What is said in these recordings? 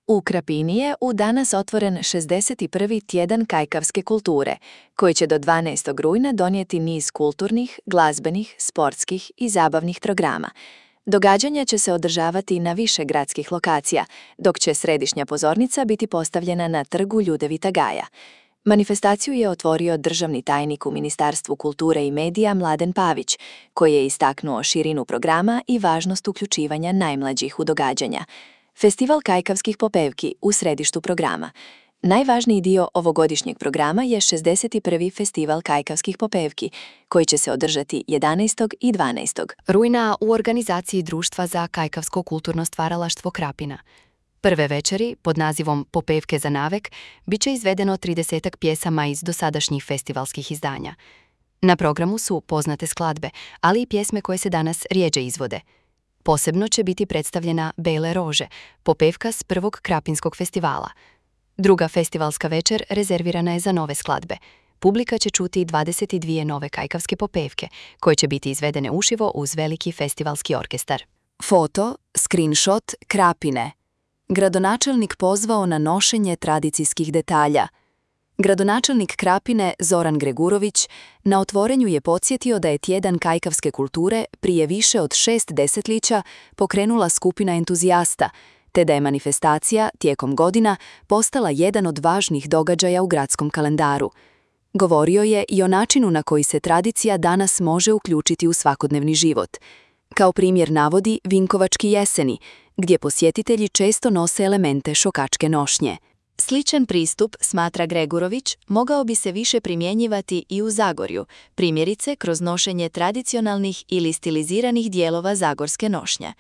U Krapini je u danas otvoren 61. tjedan kajkavske kulture, koji će do 12. rujna donijeti niz kulturnih, glazbenih, sportskih i zabavnih programa. Događanja će se održavati na više gradskih lokacija, dok će središnja pozornica biti postavljena na trgu Ljudevita Gaja. Manifestaciju je otvorio državni tajnik u Ministarstvu kulture i medija Mladen Pavić, koji je istaknuo širinu programa i važnost uključivanja najmlađih u događanja. Festival kajkavskih popevki u središtu programa. Najvažniji dio ovogodišnjeg programa je 61. Festival kajkavskih popevki, koji će se održati 11. i 12. rujna u organizaciji Društva za kajkavsko kulturno stvaralaštvo Krapina. Prve večeri, pod nazivom Popevke za navek, bit će izvedeno 30 pjesama iz dosadašnjih festivalskih izdanja. Na programu su poznate skladbe, ali i pjesme koje se danas rjeđe izvode. Posebno će biti predstavljena Bele rože, popevka s prvog Krapinskog festivala. Druga festivalska večer rezervirana je za nove skladbe. Publika će čuti 22 nove kajkavske popevke, koje će biti izvedene uživo uz veliki festivalski orkestar. Foto, screenshot, Krapine. Gradonačelnik pozvao na nošenje tradicijskih detalja. Gradonačelnik Krapine Zoran Gregurović na otvorenju je podsjetio da je tjedan kajkavske kulture prije više od 6 desetljeća pokrenula skupina entuzijasta, te da je manifestacija tijekom godina postala jedan od važnih događaja u gradskom kalendaru. Govorio je i o načinu na koji se tradicija danas može uključiti u svakodnevni život. Kao primjer navodi Vinkovački jeseni, gdje posjetitelji često nose elemente šokačke nošnje. Sličan pristup, smatra Gregurović, mogao bi se više primjenjivati i u Zagorju, primjerice kroz nošenje tradicionalnih ili stiliziranih dijelova zagorske nošnje.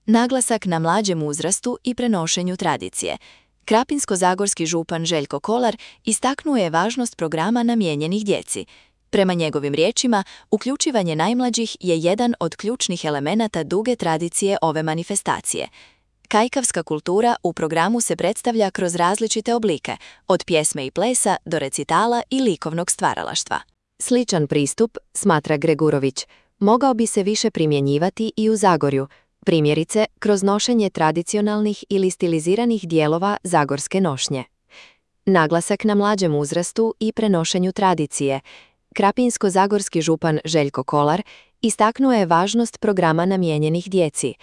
Naglasak na mlađem uzrastu i prenošenju tradicije. Krapinsko-zagorski župan Željko Kolar istaknuo je važnost programa namijenjenih djeci. Prema njegovim riječima, uključivanje najmlađih je jedan od ključnih elemenata duge tradicije ove manifestacije. Kajkavska kultura u programu se predstavlja kroz različite oblike, od pjesme i plesa do recitala i likovnog stvaralaštva. Sličan pristup, smatra Gregurović, mogao bi se više primjenjivati i u Zagorju, primjerice kroz nošenje tradicionalnih ili stiliziranih dijelova zagorske nošnje. Naglasak na mlađem uzrastu i prenošenju tradicije. Krapinsko-zagorski župan Željko Kolar istaknuo je važnost programa namijenjenih djeci.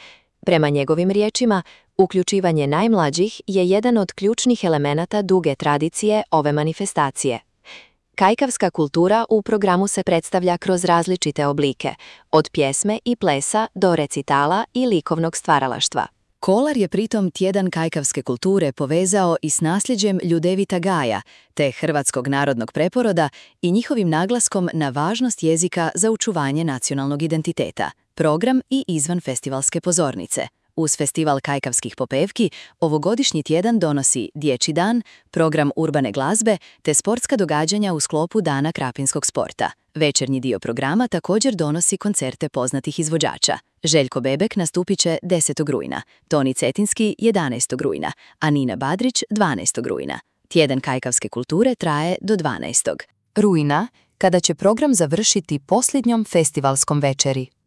Prema njegovim riječima, uključivanje najmlađih je jedan od ključnih elemenata duge tradicije ove manifestacije. Kajkavska kultura u programu se predstavlja kroz različite oblike, od pjesme i plesa do recitala i likovnog stvaralaštva. Kolar je pritom tjedan kajkavske kulture povezao i s nasljeđem Ljudevita Gaja, te hrvatskog narodnog preporoda i njihovim naglaskom na važnost jezika za očuvanje nacionalnog identiteta, program i izvan festivalske pozornice. Uz festival kajkavskih popevki, ovogodišnji tjedan donosi Dječji dan, program urbane glazbe te sportska događanja u sklopu Dana krapinskog sporta. Večernji dio programa također donosi koncerte poznatih izvođača. Željko Bebek nastupit će 10. rujna, Toni Cetinski 11. rujna, a Nina Badrić 12. rujna. Tjedan kajkavske kulture traje do 12. rujna, kada će program završiti posljednjom festivalskom večeri.